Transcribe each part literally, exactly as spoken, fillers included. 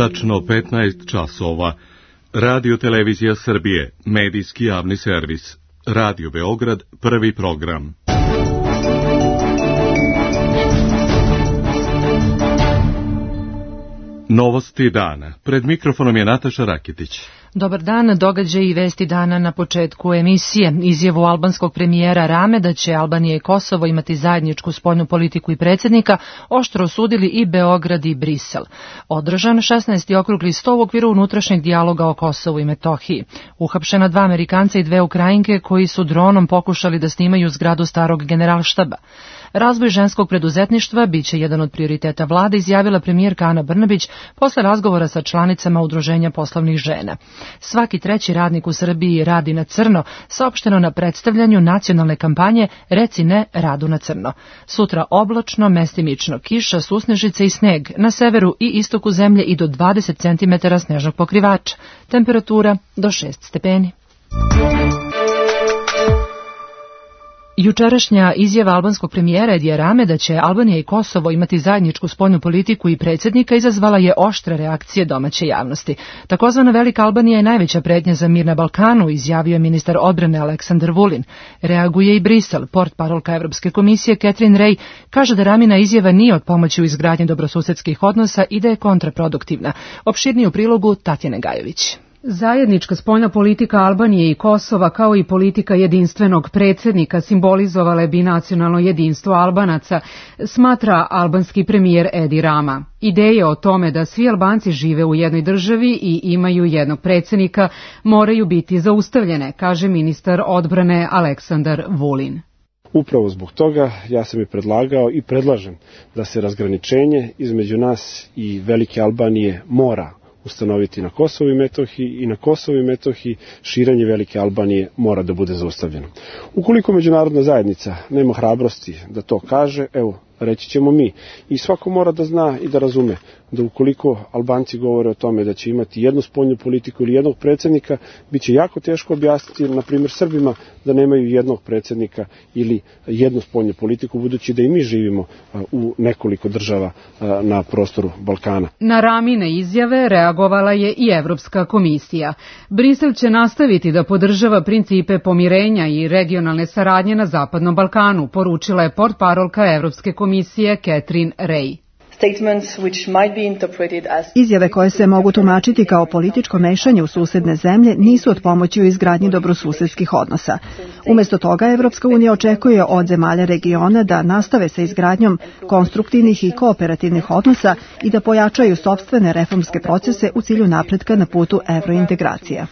Tačno petnaest časova. Radio Televizija Srbije, medijski javni servis. Radio Beograd, prvi program. Novosti dana. Pred mikrofonom je Nataša Rakitić. Dobar dan, događaj i vesti dana na početku emisije. Izjavu albanskog premijera Rame da će Albanija i Kosovo imati zajedničku spoljnu politiku i predsjednika oštro osudili i Beograd i Brisel. Održan šesnaesti okrugli sto u okviru unutrašnjeg dijaloga o Kosovu i Metohiji. Uhapšena dva Amerikanca i dve Ukrajinke koji su dronom pokušali da snimaju zgradu starog generalštaba. Razvoj ženskog preduzetništva biće jedan od prioriteta vlade, izjavila premijerka Ana Brnabić posle razgovora sa članicama Udruženja poslovnih žena. Svaki treći radnik u Srbiji radi na crno, saopšteno na predstavljanju nacionalne kampanje Reci ne radu na crno. Sutra oblačno, mestimično kiša, susnežice i sneg, na severu i istoku zemlje i do dvadeset centimetara snežnog pokrivača. Temperatura do šest stepeni. Jučerašnja izjava albanskog premijera Edija Rame da će Albanija i Kosovo imati zajedničku spoljnu politiku i predsjednika izazvala je oštre reakcije domaće javnosti. Takozvana Velika Albanija je najveća pretnja za mir na Balkanu, izjavio je ministar odbrane Aleksandar Vulin. Reaguje i Brisel. Portparolka Evropske komisije Catherine Ray kaže da Ramina izjava nije od pomoći u izgradnji dobrosusedskih odnosa i da je kontraproduktivna. Opširnije u prilogu Tatjane Gajović. Zajednička spoljna politika Albanije i Kosova kao i politika jedinstvenog predsjednika simbolizovale bi nacionalno jedinstvo Albanaca, smatra albanski premijer Edi Rama. Ideje o tome da svi Albanci žive u jednoj državi i imaju jednog predsjednika moraju biti zaustavljene, kaže ministar odbrane Aleksandar Vulin. Upravo zbog toga ja sam i predlagao i predlažem da se razgraničenje između nas i Velike Albanije mora ustanoviti na Kosovu i Metohiji i na Kosovu i Metohiji širenje Velike Albanije mora da bude zaustavljeno. Ukoliko međunarodna zajednica nema hrabrosti da to kaže, evo, reći ćemo mi. I svako mora da zna i da razume da ukoliko Albanci govore o tome da će imati jednu spoljnu politiku ili jednog predsjednika, bit će jako teško objasniti, na primjer, Srbima da nemaju jednog predsjednika ili jednu spoljnu politiku, budući da i mi živimo u nekoliko država na prostoru Balkana. Na Ramine izjave reagovala je i Evropska komisija. Brisel će nastaviti da podržava principe pomirenja i regionalne saradnje na Zapadnom Balkanu, poručila je portparolka Evropske komisije Catherine Ray. Izjave koje se mogu tumačiti kao političko mešanje u susedne zemlje nisu od pomoći u izgradnji dobrosusedskih odnosa. Umjesto toga, Evropska unija očekuje od zemalja regiona da nastave sa izgradnjom konstruktivnih i kooperativnih odnosa i da pojačaju sopstvene reformske procese u cilju napretka na putu evrointegracija.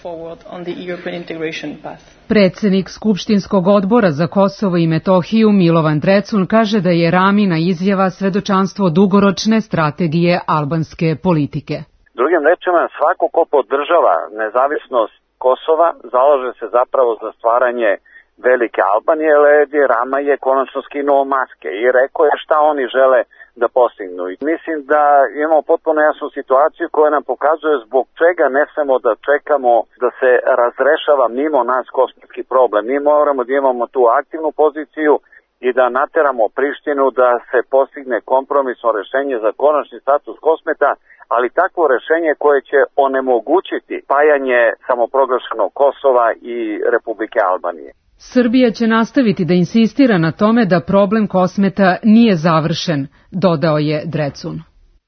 Predsjednik Skupštinskog odbora za Kosovo i Metohiju Milovan Drecun kaže da je Ramina izjava svedočanstvo dugoročne strategije albanske politike. Drugim rečima, svako ko podržava nezavisnost Kosova zalaže se zapravo za stvaranje Velike Albanije, jer Edi Rama je konačno skinuo maske i rekao je šta oni žele da postignu. I mislim da imamo potpuno jasnu situaciju koja nam pokazuje zbog čega ne smemo da čekamo da se razrešava mimo nas kosmetski problem. Mi moramo da imamo tu aktivnu poziciju i da nateramo Prištinu da se postigne kompromisno rešenje za konačni status Kosmeta, ali takvo rešenje koje će onemogućiti spajanje samoproglašenog Kosova i Republike Albanije. Srbija će nastaviti da insistira na tome da problem Kosmeta nije završen, dodao je Drecun.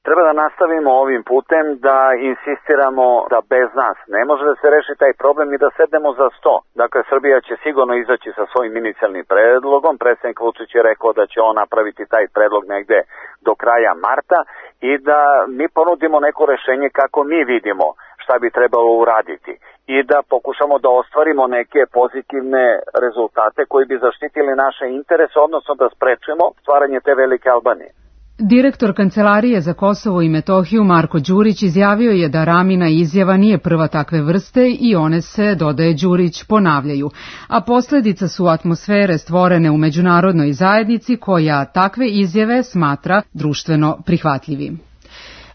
Treba da nastavimo ovim putem, da insistiramo da bez nas ne može da se reši taj problem i da sednemo za sto. Dakle, Srbija će sigurno izaći sa svojim inicijalnim predlogom. Predsjednik Vučić je rekao da će on napraviti taj predlog negde do kraja marta i da mi ponudimo neko rešenje kako mi vidimo šta bi trebalo uraditi i da pokušamo da ostvarimo neke pozitivne rezultate koji bi zaštitili naše interese, odnosno da sprečimo stvaranje te Velike Albanije. Direktor Kancelarije za Kosovo i Metohiju Marko Đurić izjavio je da Ramina izjava nije prva takve vrste i one se, dodaje Đurić, ponavljaju, a posljedica su atmosfere stvorene u međunarodnoj zajednici koja takve izjave smatra društveno prihvatljivim.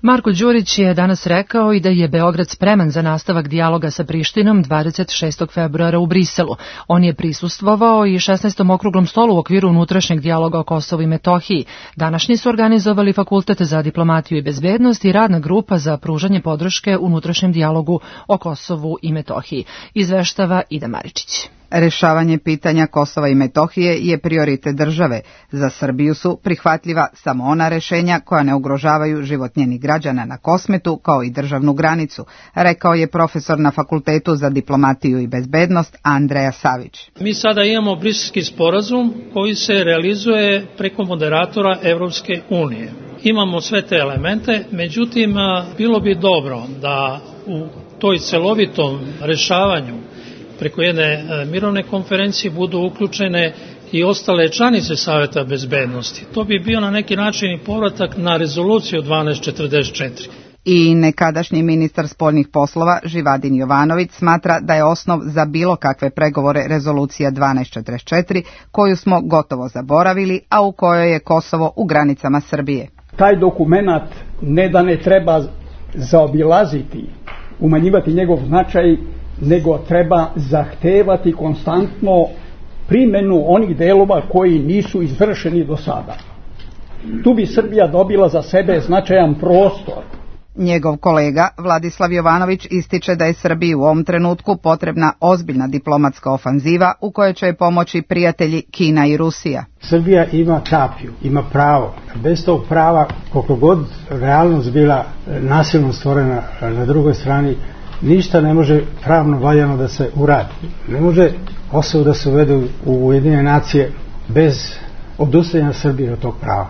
Marko Đurić je danas rekao i da je Beograd spreman za nastavak dijaloga sa Prištinom dvadeset šestog februara u Briselu. On je prisustvovao i šesnaestom okruglom stolu u okviru unutrašnjeg dijaloga o Kosovu i Metohiji. Današnji su organizovali Fakultet za diplomatiju i bezbednost i radna grupa za pružanje podrške unutrašnjem dijalogu o Kosovu i Metohiji. Izveštava Ida Maričić. Rešavanje pitanja Kosova i Metohije je prioritet države. Za Srbiju su prihvatljiva samo ona rešenja koja ne ugrožavaju život njenih građana na Kosmetu kao i državnu granicu, rekao je profesor na Fakultetu za diplomatiju i bezbednost Andreja Savić. Mi sada imamo Briselski sporazum koji se realizuje preko moderatora Evropske unije. Imamo sve te elemente, međutim bilo bi dobro da u toj celovitom rešavanju preko jedne mirovne konferencije budu uključene i ostale članice Saveta bezbednosti. To bi bio na neki način i povratak na rezoluciju dvanaest četrdeset četiri. I nekadašnji ministar spoljnih poslova Živadin Jovanović smatra da je osnov za bilo kakve pregovore rezolucija dvanaest četrdeset četiri, koju smo gotovo zaboravili, a u kojoj je Kosovo u granicama Srbije. Taj dokument ne da ne treba zaobilaziti, umanjivati njegov značaj, nego treba zahtevati konstantno primjenu onih delova koji nisu izvršeni do sada. Tu bi Srbija dobila za sebe značajan prostor. Njegov kolega Vladislav Jovanović ističe da je Srbiji u ovom trenutku potrebna ozbiljna diplomatska ofanziva u kojoj će pomoći prijatelji Kina i Rusija. Srbija ima tapiju, ima pravo. Bez tog prava, koliko god realnost bila nasilno stvorena na drugoj strani, ništa ne može pravno valjano da se uradi. Ne može Kosovo da se uvede u Ujedinjene nacije bez odustajanja Srbije od tog prava.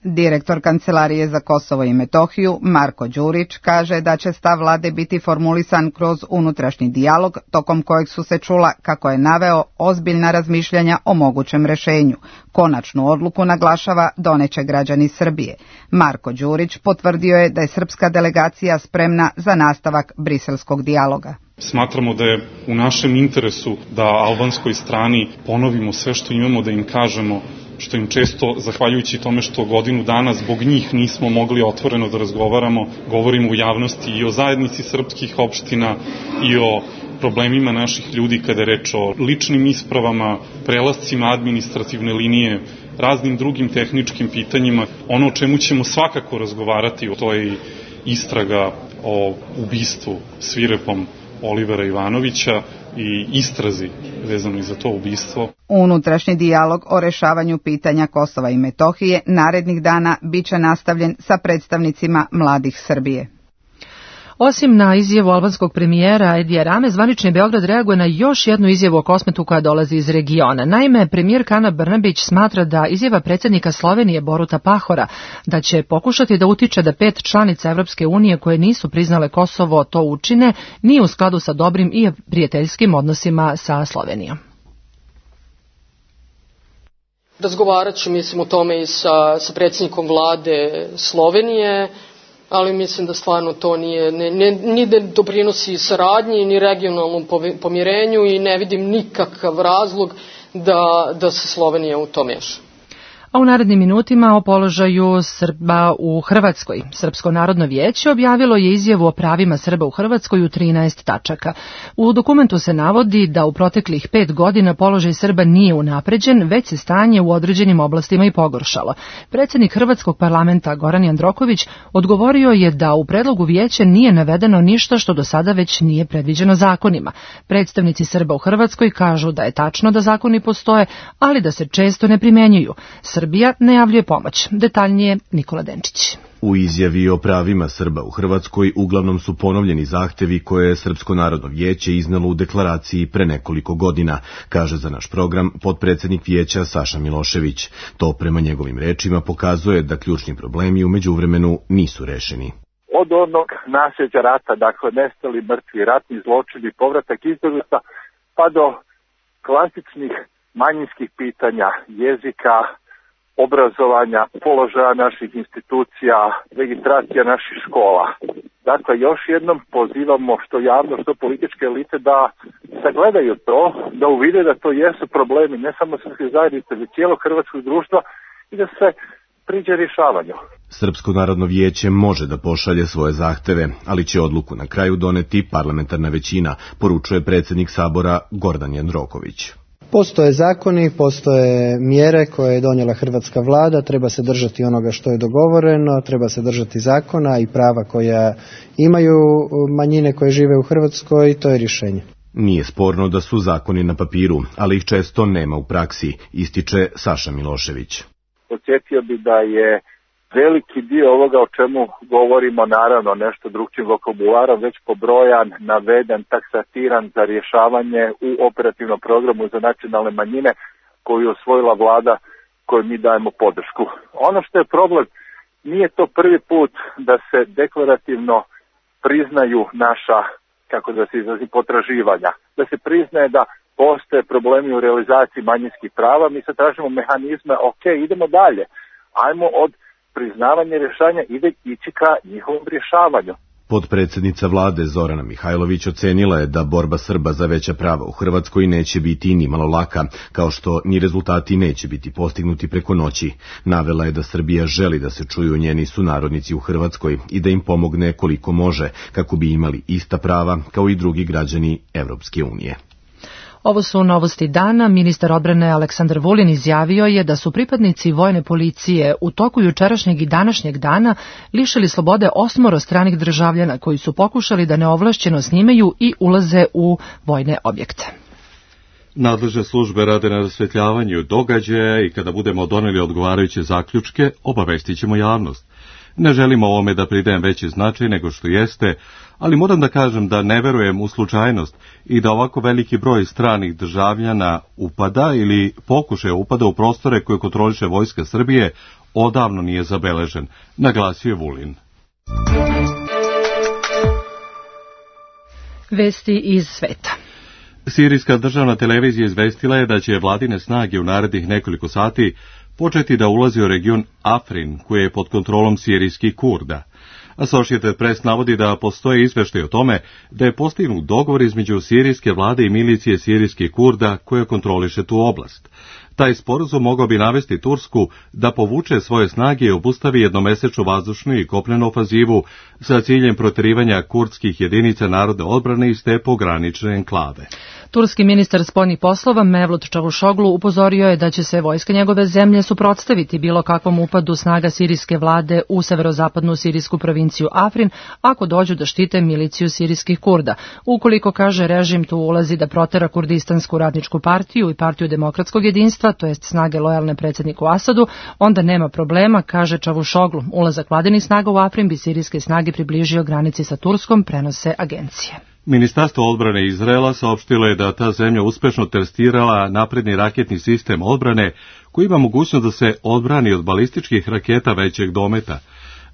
Direktor Kancelarije za Kosovo i Metohiju Marko Đurić kaže da će stav vlade biti formulisan kroz unutrašnji dijalog, tokom kojeg su se čula, kako je naveo, ozbiljna razmišljanja o mogućem rešenju. Konačnu odluku, naglašava, doneće građani Srbije. Marko Đurić potvrdio je da je srpska delegacija spremna za nastavak briselskog dijaloga. Smatramo da je u našem interesu da albanskoj strani ponovimo sve što imamo, da im kažemo, što im često, zahvaljujući tome što godinu dana zbog njih nismo mogli otvoreno da razgovaramo, govorimo u javnosti i o zajednici srpskih opština i o problemima naših ljudi kada je reč o ličnim ispravama, prelascima administrativne linije, raznim drugim tehničkim pitanjima. Ono o čemu ćemo svakako razgovarati, to je istraga o ubistvu svirepom Olivera Ivanovića i istrazi vezano i za to ubistvo. Unutrašnji dijalog o rešavanju pitanja Kosova i Metohije narednih dana biće nastavljen sa predstavnicima mladih Srbije. Osim na izjavu albanskog premijera Edija Rame, zvanični Beograd reaguje na još jednu izjavu o Kosmetu koja dolazi iz regiona. Naime, premijer Ana Brnabić smatra da izjava predsjednika Slovenije Boruta Pahora da će pokušati da utiče da pet članica Evropske unije koje nisu priznale Kosovo to učine, nije u skladu sa dobrim i prijateljskim odnosima sa Slovenijom. Razgovarat ću, mislim, o tome i sa, sa predsjednikom vlade Slovenije, ali mislim da stvarno to nije, ne, ne, ni ne doprinosi saradnji, ni regionalnom pomirenju i ne vidim nikakav razlog da, da se Slovenija u to meša. A u narednim minutima o položaju Srba u Hrvatskoj. Srpsko narodno vijeće objavilo je izjavu o pravima Srba u Hrvatskoj u trinaest tačaka. U dokumentu se navodi da u proteklih pet godina položaj Srba nije unapređen, već se stanje u određenim oblastima i pogoršalo. Predsjednik Hrvatskog parlamenta Goran Jandroković odgovorio je da u predlogu vijeća nije navedeno ništa što do sada već nije predviđeno zakonima. Predstavnici Srba u Hrvatskoj kažu da je tačno da zakoni postoje, ali da se često ne primenjuju. Srbija najavljuje pomoć. Detaljnije Nikola Denčić. U izjavi o pravima Srba u Hrvatskoj uglavnom su ponovljeni zahtevi koje je Srpsko narodno vijeće iznalo u deklaraciji pre nekoliko godina, kaže za naš program potpredsjednik vijeća Saša Milošević. To prema njegovim rečima pokazuje da ključni problemi u međuvremenu nisu rešeni. Od onog nasljeđa rata, dakle nestali, mrtvi, ratni zločini, povratak izbjeglica, pa do klasičnih manjinskih pitanja, jezika, obrazovanja, položaja naših institucija, registracija naših škola. Dakle, još jednom pozivamo što javno, što političke elite da sagledaju to, da uvide da to jesu problemi ne samo srpske zajednice, već cijelog hrvatskog društva i da se priđe rješavanju. Srpsko narodno vijeće može da pošalje svoje zahteve, ali će odluku na kraju doneti parlamentarna većina, poručuje predsjednik Sabora Gordan Jandroković. Postoje zakoni, postoje mjere koje je donijela hrvatska vlada, treba se držati onoga što je dogovoreno, treba se držati zakona i prava koja imaju manjine koje žive u Hrvatskoj, to je rješenje. Nije sporno da su zakoni na papiru, ali ih često nema u praksi, ističe Saša Milošević. Podsjetio bi da je veliki dio ovoga o čemu govorimo, naravno nešto drugčijim vokabularom, već pobrojan, naveden, taksatiran za rješavanje u operativnom programu za nacionalne manjine koju je osvojila vlada kojoj mi dajemo podršku. Ono što je problem, nije to prvi put da se deklarativno priznaju naša, kako da se izrazi, potraživanja. Da se priznaje da postoje problemi u realizaciji manjinskih prava, mi sad tražimo mehanizme, ok, idemo dalje, ajmo od priznavanje rješanja ide ići ka njihovom rješavanju. Potpredsjednica vlade Zorana Mihajlović ocenila je da borba Srba za veća prava u Hrvatskoj neće biti ni malo laka, kao što ni rezultati neće biti postignuti preko noći. Navela je da Srbija želi da se čuju njeni sunarodnici u Hrvatskoj i da im pomogne koliko može, kako bi imali ista prava kao i drugi građani Evropske unije. Ovo su novosti dana. Ministar odbrane Aleksandar Vulin izjavio je da su pripadnici vojne policije u toku jučerašnjeg i današnjeg dana lišili slobode osmoro stranih državljana koji su pokušali da neovlašćeno snimaju i ulaze u vojne objekte. Nadležne službe rade na rasvetljavanju događaja i kada budemo doneli odgovarajuće zaključke, obavestit ćemo javnost. Ne želimo ovome da pridajem veći značaj nego što jeste, ali moram da kažem da ne verujem u slučajnost i da ovako veliki broj stranih državljana upada ili pokušaja upada u prostore koje kontroliše Vojska Srbije odavno nije zabeležen, naglasio je Vulin. Vesti iz sveta. Sirijska državna televizija izvestila je da će vladine snage u narednih nekoliko sati početi da ulazi u region Afrin, koji je pod kontrolom sirijskih Kurda. Associated Press navodi da postoje izveštaj o tome da je postignut dogovor između sirijske vlade i milicije sirijskih Kurda koja kontroliše tu oblast. Taj sporazum mogao bi navesti Tursku da povuče svoje snage i obustavi jednomesečnu vazdušnu i kopnenu ofazivu sa ciljem proterivanja kurdskih jedinica narodne odbrane iz te pogranične enklave. Turski ministar spoljnih poslova Mevlut Čavuşoglu upozorio je da će se vojska njegove zemlje suprotstaviti bilo kakvom upadu snaga sirijske vlade u severozapadnu sirijsku provinciju Afrin ako dođu da štite miliciju sirijskih Kurda. Ukoliko, kaže, režim tu ulazi da protera Kurdistansku radničku partiju i partiju demokratskog jedinstva, to jest snage lojalne predsjedniku Asadu, onda nema problema, kaže Čavuşoglu. Ulazak vladinih snaga u Afrin bi sirijske snage približio granici sa Turskom, prenose agencije. Ministarstvo odbrane Izraela saopštilo je da ta zemlja uspešno testirala napredni raketni sistem odbrane koji ima mogućnost da se odbrani od balističkih raketa većeg dometa.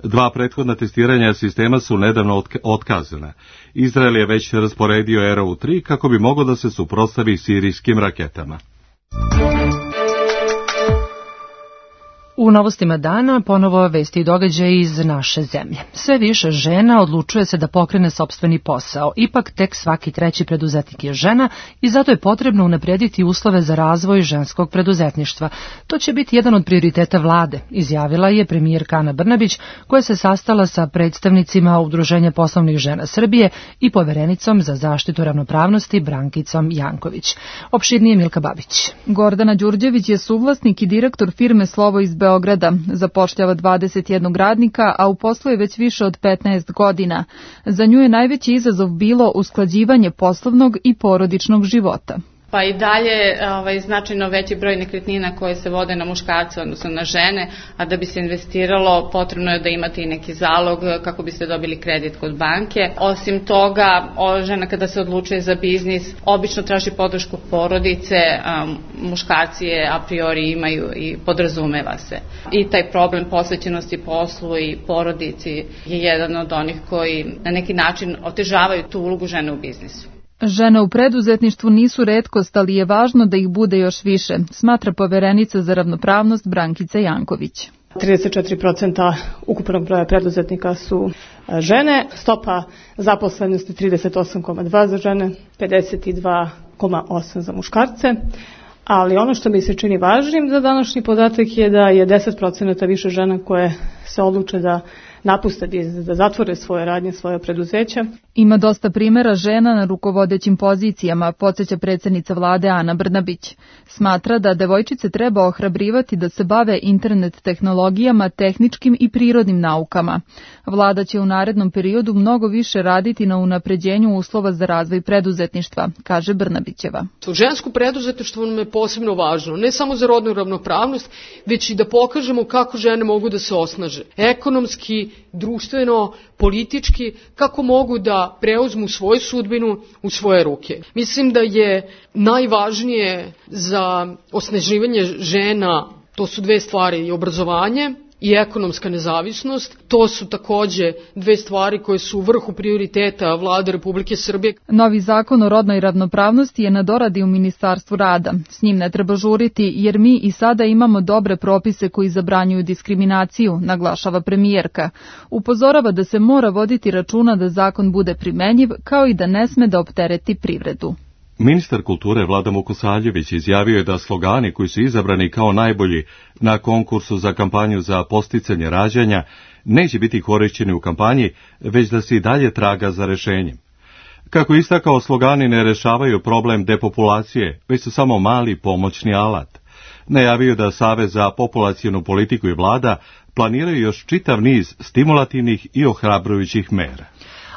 Dva prethodna testiranja sistema su nedavno otkazana. Izrael je već rasporedio R U tri kako bi moglo da se suprotstavi sirijskim raketama. U novostima dana ponovo vesti i događaje iz naše zemlje. Sve više žena odlučuje se da pokrene sopstveni posao. Ipak tek svaki treći preduzetnik je žena i zato je potrebno unaprediti uslove za razvoj ženskog preduzetništva. To će biti jedan od prioriteta vlade, izjavila je premijerka Ana Brnabić, koja se sastala sa predstavnicima Udruženja poslovnih žena Srbije i poverenicom za zaštitu ravnopravnosti Brankicom Janković. Opširnije Milka Babić. Gordana Đurđević je suvlasnik i direktor firme Slovo iz Beograda. Zapošljava dvadeset jednog radnika, a u poslu je već više od petnaest godina. Za nju je najveći izazov bilo usklađivanje poslovnog i porodičnog života. Pa i dalje ovaj, značajno veći broj nekretnina koje se vode na muškarce, odnosno na žene, a da bi se investiralo potrebno je da imate i neki zalog kako biste dobili kredit kod banke. Osim toga, žena kada se odlučuje za biznis, obično traži podršku porodice, um, muškarci je a priori imaju i podrazumeva se. I taj problem posvećenosti poslu i porodici je jedan od onih koji na neki način otežavaju tu ulogu žene u biznisu. Žene u preduzetništvu nisu retkost, ali je važno da ih bude još više, smatra poverenica za ravnopravnost Brankica Janković. trideset četiri posto ukupnog broja preduzetnika su žene, stopa zaposlenosti trideset osam zarez dva za žene, pedeset dva zarez osam za muškarce. Ali ono što mi se čini važnim za današnji podatak je da je deset procenata više žena koje se odluče da napuste, da zatvore svoje radnje, svoje preduzeća. Ima dosta primjera žena na rukovodećim pozicijama, podsjeća predsjednica vlade Ana Brnabić. Smatra da devojčice treba ohrabrivati da se bave internet tehnologijama, tehničkim i prirodnim naukama. Vlada će u narednom periodu mnogo više raditi na unapređenju uslova za razvoj preduzetništva, kaže Brnabićeva. Žensko preduzetništvo nam je posebno važno, ne samo za rodnu ravnopravnost, već i da pokažemo kako žene mogu da se osnaže. Ekonomski, društveno, politički, kako mogu da preuzmu svoju sudbinu u svoje ruke. Mislim da je najvažnije za osnaživanje žena, to su dve stvari, i obrazovanje i ekonomska nezavisnost. To su takođe dve stvari koje su u vrhu prioriteta Vlade Republike Srbije. Novi zakon o rodnoj ravnopravnosti je na doradi u Ministarstvu rada. S njim ne treba žuriti jer mi i sada imamo dobre propise koji zabranjuju diskriminaciju, naglašava premijerka. Upozorava da se mora voditi računa da zakon bude primenjiv, kao i da ne sme da optereti privredu. Ministar kulture Vlada Vukosaljević izjavio je da slogani koji su izabrani kao najbolji na konkursu za kampanju za posticanje rađanja neće biti korišćeni u kampanji, već da se i dalje traga za rešenjem. Kako je istakao, slogani ne rešavaju problem depopulacije, već su samo mali pomoćni alat. Najavio da Savez za populacionu politiku i vlada planiraju još čitav niz stimulativnih i ohrabrujućih mera.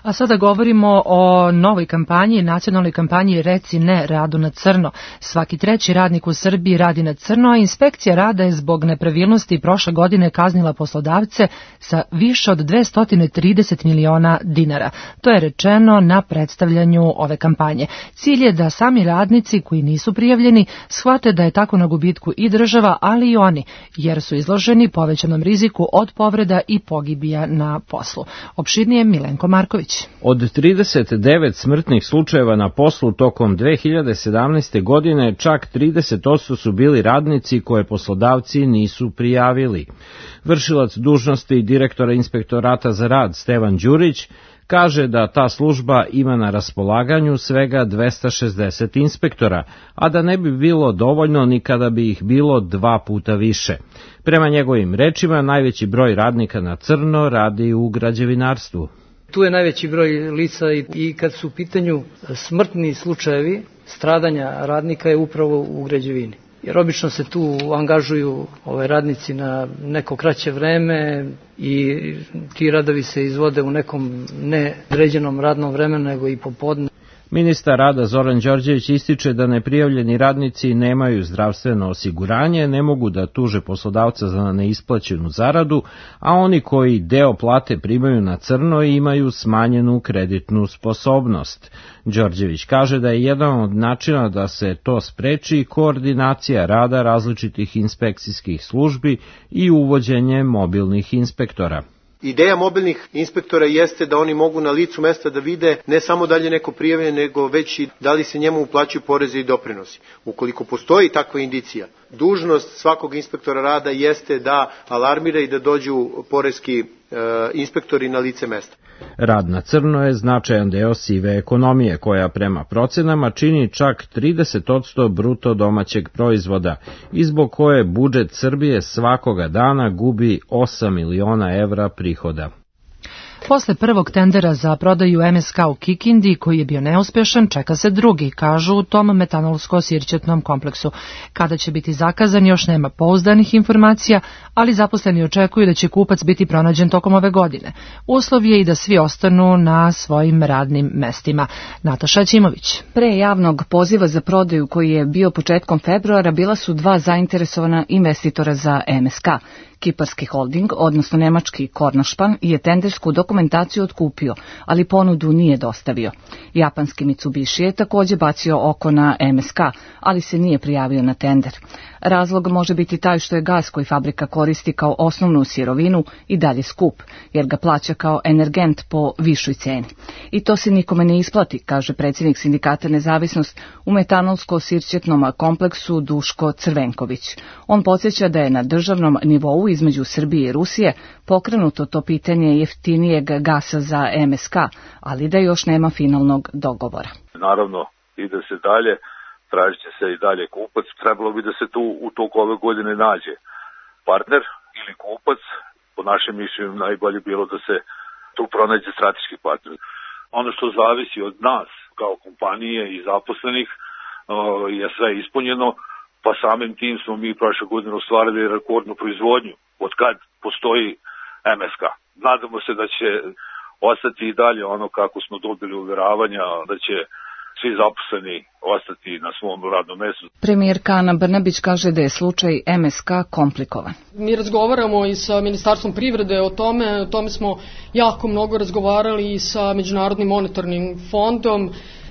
A sada govorimo o novoj kampanji, nacionalnoj kampanji Reci ne radu na crno. Svaki treći radnik u Srbiji radi na crno, a inspekcija rada je zbog nepravilnosti prošle godine kaznila poslodavce sa više od dvesta trideset miliona dinara. To je rečeno na predstavljanju ove kampanje. Cilj je da sami radnici koji nisu prijavljeni shvate da je tako na gubitku i država, ali i oni, jer su izloženi povećanom riziku od povreda i pogibija na poslu. Opširnije Milenko Marković. Od trideset devet smrtnih slučajeva na poslu tokom dve hiljade sedamnaeste. godine, čak trideset posto su bili radnici koje poslodavci nisu prijavili. Vršilac dužnosti direktora Inspektorata za rad Stevan Đurić kaže da ta služba ima na raspolaganju svega dvesta šezdeset inspektora, a da ne bi bilo dovoljno ni kada bi ih bilo dva puta više. Prema njegovim rečima, najveći broj radnika na crno radi u građevinarstvu. Tu je najveći broj lica i kad su u pitanju smrtni slučajevi stradanja radnika je upravo u građevini. Jer obično se tu angažuju ove radnici na neko kraće vreme i ti radovi se izvode u nekom neodređenom radnom vremenu nego i popodne. Ministar rada Zoran Đorđević ističe da neprijavljeni radnici nemaju zdravstveno osiguranje, ne mogu da tuže poslodavca za neisplaćenu zaradu, a oni koji deo plate primaju na crno imaju smanjenu kreditnu sposobnost. Đorđević kaže da je jedan od načina da se to spreči koordinacija rada različitih inspekcijskih službi i uvođenje mobilnih inspektora. Ideja mobilnih inspektora jeste da oni mogu na licu mesta da vide ne samo da li je neko prijavljen, nego već i da li se njemu uplaćuju porezi i doprinosi. Ukoliko postoji takva indicija, dužnost svakog inspektora rada jeste da alarmira i da dođu poreski e, inspektori na lice mesta. Rad na crno je značajan deo sive ekonomije, koja prema procenama čini čak trideset posto bruto domaćeg proizvoda i zbog koje budžet Srbije svakoga dana gubi osam miliona evra prihoda. Posle prvog tendera za prodaju M S K u Kikindi, koji je bio neuspešan, čeka se drugi, kažu u tom metanolsko-sirćetnom kompleksu. Kada će biti zakazan, još nema pouzdanih informacija, ali zaposleni očekuju da će kupac biti pronađen tokom ove godine. Uslov je i da svi ostanu na svojim radnim mestima. Nataša Ćimović. Pre javnog poziva za prodaju koji je bio početkom februara bila su dva zainteresovana investitora za M S K. Kiparski holding, odnosno nemački Kornošpan, je tendersku dokumentaciju otkupio, ali ponudu nije dostavio. Japanski Mitsubishi je takođe bacio oko na M S K, ali se nije prijavio na tender. Razlog može biti taj što je gas koji fabrika koristi kao osnovnu sirovinu i dalje skup, jer ga plaća kao energent po višoj ceni. I to se nikome ne isplati, kaže predsjednik sindikata Nezavisnost u metanolsko-sirćetnom kompleksu Duško Crvenković. On podsjeća da je na državnom nivou između Srbije i Rusije pokrenuto to pitanje jeftinijeg gasa za M S K, ali da još nema finalnog dogovora. Naravno, ide se dalje, tražit će se i dalje kupac. Trebalo bi da se tu u toku ove godine nađe partner ili kupac. Po našem mišljenju najbolje bilo da se tu pronađe strateški partner. Ono što zavisi od nas kao kompanije i zaposlenih je sve ispunjeno, pa samim tim smo mi prošle godine ostvarili rekordnu proizvodnju od kad postoji M S K. Nadamo se da će ostati i dalje ono kako smo dobili uveravanja, da će svi zaposleni ostati na svom radnom mestu. Premijerka Ana Brnabić kaže da je slučaj M S K komplikovan. Mi razgovaramo i sa Ministarstvom privrede o tome, o tome smo jako mnogo razgovarali i sa Međunarodnim monetarnim fondom.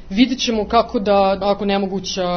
Vidjet ćemo kako da, ako nemoguća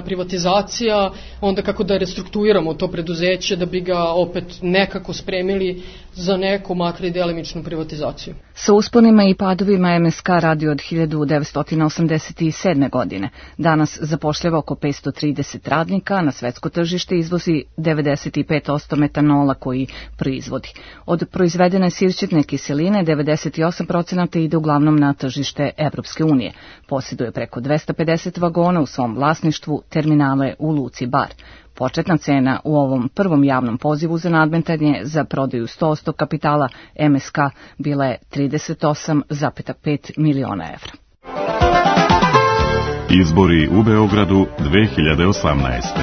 privatizacija, onda kako da restrukturiramo to preduzeće da bi ga opet nekako spremili za neku makar i delimičnu privatizaciju. Sa usponima i padovima M S K radi od hiljadu devetsto osamdeset sedme. godine. Danas zapošljava oko petsto trideset radnika, na svetsko tržište izvozi devedeset pet posto metanola koji proizvodi. Od proizvedene sirćetne kiseline devedeset osam posto ide uglavnom na tržište Evropske unije. Posjeduje preko dvesta pedeset vagona u svom vlasništvu, terminale u Luci Bar. Početna cena u ovom prvom javnom pozivu za nadmetanje za prodaju sto posto kapitala M S K bila je trideset osam zarez pet miliona evra. Izbori u Beogradu dve hiljade osamnaeste.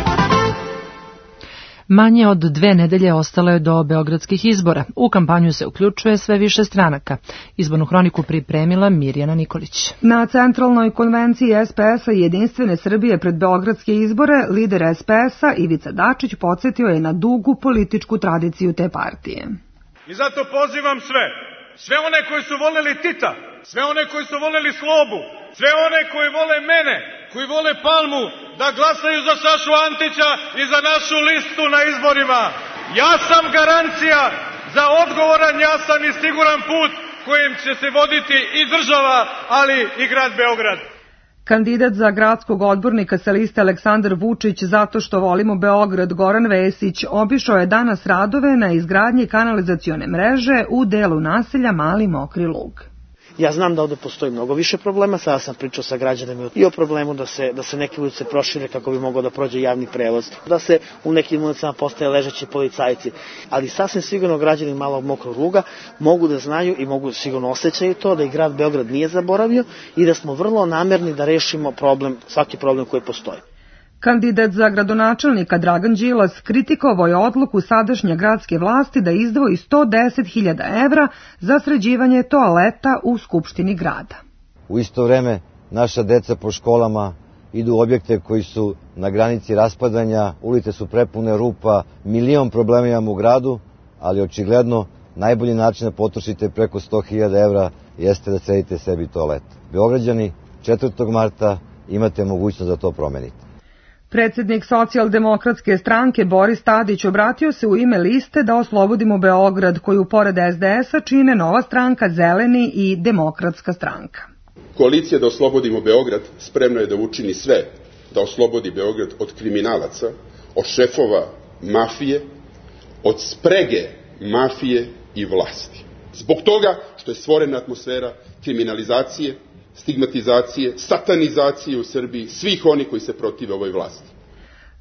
Manje od dve nedelje ostalo je do beogradskih izbora. U kampanju se uključuje sve više stranaka. Izbornu hroniku pripremila Mirjana Nikolić. Na centralnoj konvenciji S P S-a i Jedinstvene Srbije pred beogradske izbore, lider S P S-a Ivica Dačić podsjetio je na dugu političku tradiciju te partije. I zato pozivam sve, sve one koji su voleli Tita, sve one koji su voleli Slobu, sve one koji vole mene, koji vole Palmu, da glasaju za Sašu Antića i za našu listu na izborima. Ja sam garancija za odgovoran, jasan i siguran put kojim će se voditi i država, ali i grad Beograd. Kandidat za gradskog odbornika sa liste Aleksandar Vučić zato što volimo Beograd Goran Vesić obišao je danas radove na izgradnji kanalizacione mreže u delu naselja Mali Mokri Lug. Ja znam da ovde postoji mnogo više problema, sada sam pričao sa građanima i o problemu da se, da se neke ulice prošire kako bi mogao da prođe javni prevoz, da se u nekim ulicama postaje ležeći policajci, ali sasvim sigurno građani Malog Mokrog Luga mogu da znaju i mogu sigurno osjećaju to da i grad Beograd nije zaboravio i da smo vrlo namerni da rešimo problem, svaki problem koji postoji. Kandidat za gradonačelnika Dragan Đilas kritikovao je odluku sadašnje gradske vlasti da izdvoji sto deset hiljada evra za sređivanje toaleta u Skupštini grada. U isto vreme naša deca po školama idu u objekte koji su na granici raspadanja, ulice su prepune rupa, milion problema imamo u gradu, ali očigledno najbolji način da potrošite preko sto hiljada evra jeste da sredite sebi toalet. Beograđani, četvrtog marta imate mogućnost da to promenite. Predsjednik socijaldemokratske stranke Boris Tadić obratio se u ime liste Da oslobodimo Beograd, koju pored S D S-a čine Nova stranka, Zeleni i Demokratska stranka. Koalicija Da oslobodimo Beograd spremna je da učini sve da oslobodi Beograd od kriminalaca, od šefova mafije, od sprege mafije i vlasti. Zbog toga što je stvorena atmosfera kriminalizacije, stigmatizacije, satanizacije u Srbiji svih oni koji se protive ovoj vlasti.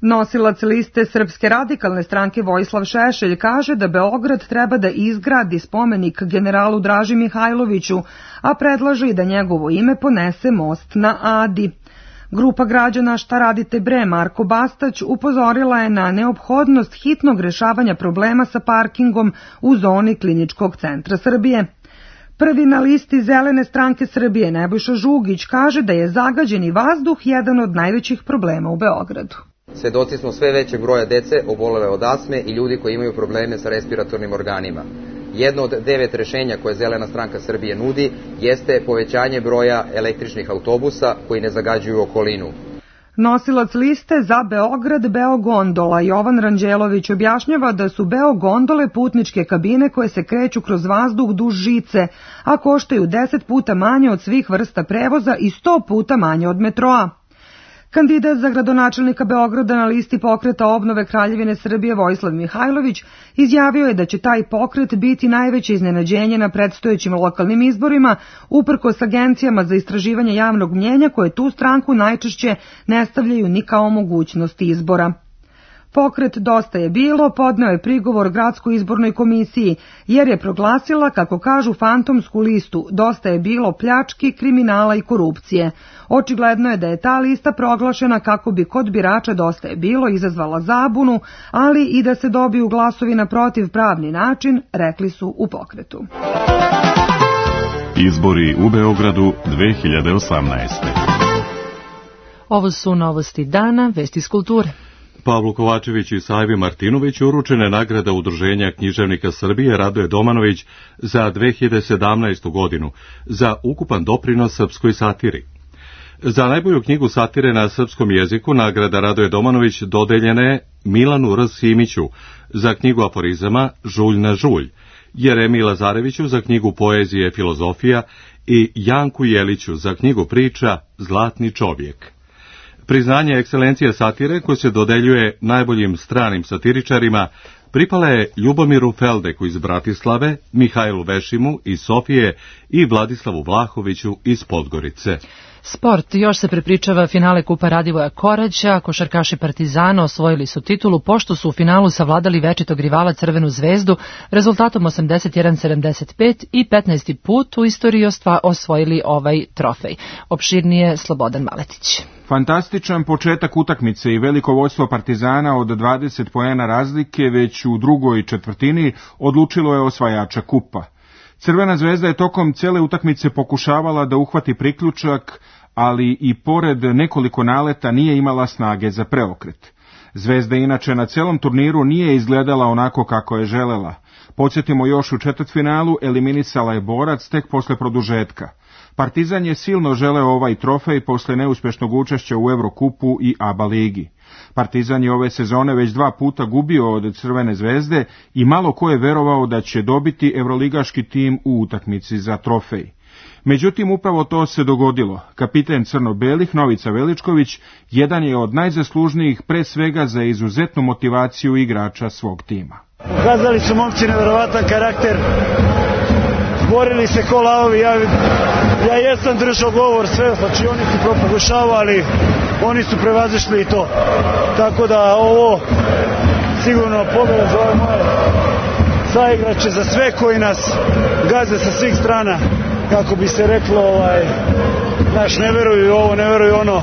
Nosilac liste Srpske radikalne stranke Vojislav Šešelj kaže da Beograd treba da izgradi spomenik generalu Draži Mihajloviću, a predlaže i da njegovo ime ponese most na Adi. Grupa građana Šta radite bre Marko Bastać upozorila je na neophodnost hitnog rešavanja problema sa parkingom u zoni Kliničkog centra Srbije. Prvi na listi Zelene stranke Srbije Nebojša Žugić kaže da je zagađeni vazduh jedan od najvećih problema u Beogradu. Svedoci smo sve većeg broja dece obolele od astme i ljudi koji imaju probleme sa respiratornim organima. Jedno od devet rešenja koje Zelena stranka Srbije nudi jeste povećanje broja električnih autobusa koji ne zagađuju okolinu. Nosilac liste za Beograd Beogondola Jovan Ranđelović objašnjava da su Beogondole putničke kabine koje se kreću kroz vazduh duž žice, a koštaju deset puta manje od svih vrsta prevoza i sto puta manje od metroa. Kandidat za gradonačelnika Beograda na listi pokreta obnove Kraljevine Srbije Vojislav Mihajlović izjavio je da će taj pokret biti najveće iznenađenje na predstojećim lokalnim izborima, uprkos agencijama za istraživanje javnog mnjenja koje tu stranku najčešće ne stavljaju ni kao mogućnost izbora. Pokret Dosta je bilo podneo je prigovor Gradskoj izbornoj komisiji, jer je proglasila, kako kažu, fantomsku listu Dosta je bilo pljački, kriminala i korupcije. Očigledno je da je ta lista proglašena kako bi kod birača Dosta je bilo izazvala zabunu, ali i da se dobiju glasovi na protivpravni način, rekli su u pokretu. Izbori u Beogradu dve hiljade osamnaeste. Ovo su novosti dana, vesti iz kulture. Pavlu Kovačeviću i Sajvi Martinoviću uručene nagrada Udruženja književnika Srbije Radoje Domanović za dve hiljade sedamnaestu. godinu za ukupan doprinos srpskoj satiri. Za najbolju knjigu satire na srpskom jeziku nagrada Radoje Domanović dodeljena je Milanu R. Simiću za knjigu aforizama Žulj na žulj, Jeremi Lazareviću za knjigu poezije Filozofija i Janku Jeliću za knjigu priča Zlatni čovjek. Priznanje ekscelencije satire koje se dodeljuje najboljim stranim satiričarima pripala je Ljubomiru Feldeku iz Bratislave, Mihajlu Vešimu iz Sofije i Vladislavu Vlahoviću iz Podgorice. Sport. Još se prepričava finale Kupa Radivoja Koraća. Košarkaši Partizana osvojili su titulu pošto su u finalu savladali večitog rivala Crvenu zvezdu rezultatom osamdeset jedan sedamdeset pet i petnaesti put u istoriji osvojili ovaj trofej. Opširnije Slobodan Maletić. Fantastičan početak utakmice i veliko vođstvo Partizana od dvadeset poena razlike već u drugoj četvrtini odlučilo je osvajača kupa. Crvena zvezda je tokom cele utakmice pokušavala da uhvati priključak, ali i pored nekoliko naleta nije imala snage za preokret. Zvezda inače na celom turniru nije izgledala onako kako je želela. Podsjetimo, još u četvrtfinalu eliminisala je Borac tek posle produžetka. Partizan je silno želeo ovaj trofej posle neuspešnog učešća u Evrokupu i A B A ligi. Partizan je ove sezone već dva puta gubio od Crvene zvezde i malo ko je verovao da će dobiti evroligaški tim u utakmici za trofej. Međutim, upravo to se dogodilo. Kapiten crno-belih Novica Veličković jedan je od najzaslužnijih pre svega za izuzetnu motivaciju igrača svog tima. Ukazali su momci neverovatan karakter, borili se ko lavovi, ja, ja jesam držao govor sve, znači oni su propogušavali, oni su prevazišli i to. Tako da ovo sigurno pobjeda za ove moje saigrače, za sve koji nas gaze sa svih strana, kako bi se reklo, ovaj, znaš, ne veruju ovo, ne veruju ono.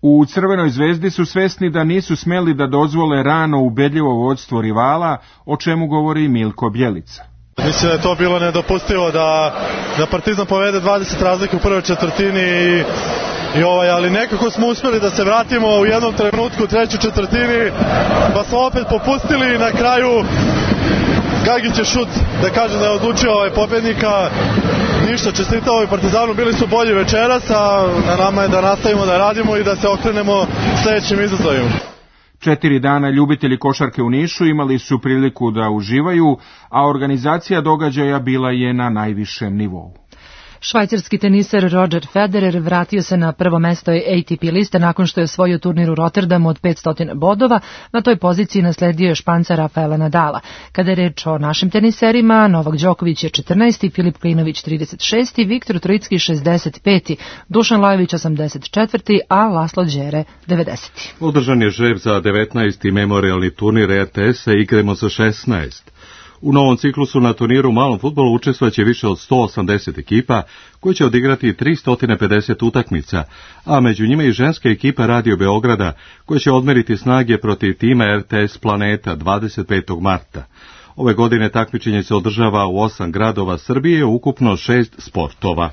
U Crvenoj zvezdi su svesni da nisu smeli da dozvole rano ubedljivo vođstvo rivala, o čemu govori Milko Bjelica. Mislim da je to bilo nedopustivo da, da Partizan povede dvadeset razlike u prvoj četvrtini i, i ovaj, ali nekako smo uspjeli da se vratimo u jednom trenutku u trećoj četvrtini, pa smo opet popustili i na kraju Gagić je šut, da kažem da je odlučio ovaj pobednika. Ništa, čestitao i Partizanu, bili su bolji večeras, a na nama je da nastavimo da radimo i da se okrenemo sljedećim izazovima. Četiri dana ljubitelji košarke u Nišu imali su priliku da uživaju, a organizacija događaja bila je na najvišem nivou. Švajcarski teniser Roger Federer vratio se na prvo mesto A T P liste nakon što je osvojio turnir u Rotterdamu od petsto bodova. Na toj poziciji nasledio je Španca Rafaela Nadala. Kada je reč o našim teniserima, Novak Đoković je četrnaesti, Filip Klinović trideset šesti, Viktor Trojicki šezdeset peti, Dušan Lajović osamdeset četvrti, a Laslo Đere devedeseti. Održan je žreb za devetnaesti memorialni turnir R T S-a Igremo za šesnaest. U novom ciklusu na turniru u malom fudbalu učestvovaće više od sto osamdeset ekipa koje će odigrati tristo pedeset utakmica, a među njima i ženska ekipa Radio Beograda koja će odmeriti snage protiv tima R T S Planeta dvadeset petog marta. Ove godine takmičenje se održava u osam gradova Srbije, ukupno šest sportova.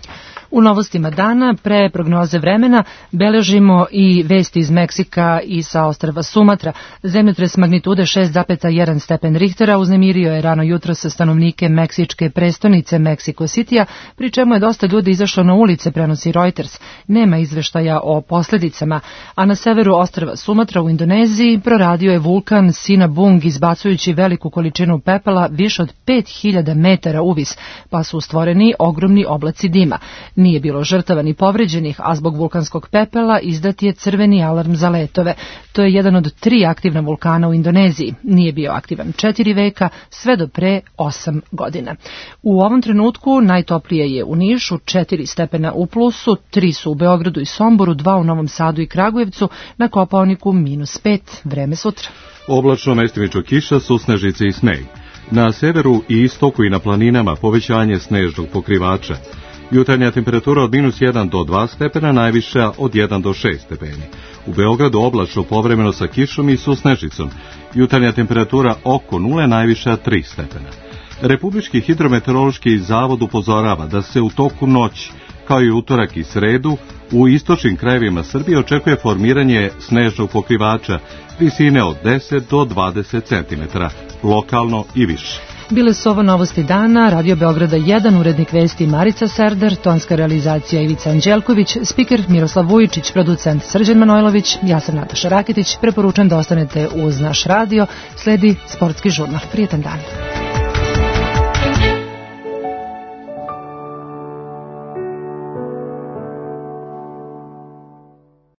U novostima dana, pre prognoze vremena, beležimo i vesti iz Meksika i sa ostrva Sumatra. Zemljotres magnitude šest zarez jedan stepen Richtera uznemirio je rano jutro sa stanovnike meksičke prestonice Mexico Citya, pri čemu je dosta ljudi izašlo na ulice, prenosi Reuters. Nema izveštaja o posljedicama, a na severu ostrva Sumatra u Indoneziji proradio je vulkan Sinabung, izbacujući veliku količinu pepela više od pet hiljada metara uvis, pa su stvoreni ogromni oblaci dima. Nije bilo žrtava ni povređenih, a zbog vulkanskog pepela izdat je crveni alarm za letove. To je jedan od tri aktivna vulkana u Indoneziji. Nije bio aktivan četiri veka, sve do pre osam godina. U ovom trenutku najtoplije je u Nišu, četiri stepena u plusu, tri su u Beogradu i Somboru, dva u Novom Sadu i Kragujevcu, na Kopaoniku minus pet, vreme sutra. Oblačno, mestimično kiša, susnežice i sneg. Na severu i istoku i na planinama povećanje snežnog pokrivača. Jutarnja temperatura od minus jedan do dva stepena, najviša od jedan do šest stepeni. U Beogradu oblačno, povremeno sa kišom i susnežicom. Jutarnja temperatura oko nule, najviša tri stepena. Republički hidrometeorološki zavod upozorava da se u toku noći, kao i utorak i sredu, u istočnim krajevima Srbije očekuje formiranje snežnog pokrivača visine od deset do dvadeset centimetara, lokalno i više. Bile su ovo novosti dana, Radio Beograda jedan, urednik vesti Marica Serdar, tonska realizacija Ivica Anđelković, spiker Miroslav Vujičić, producent Srđan Manojlović, ja sam Nataša Raketić, preporučujem da ostanete uz naš radio, sledi sportski žurnal. Prijetan dan.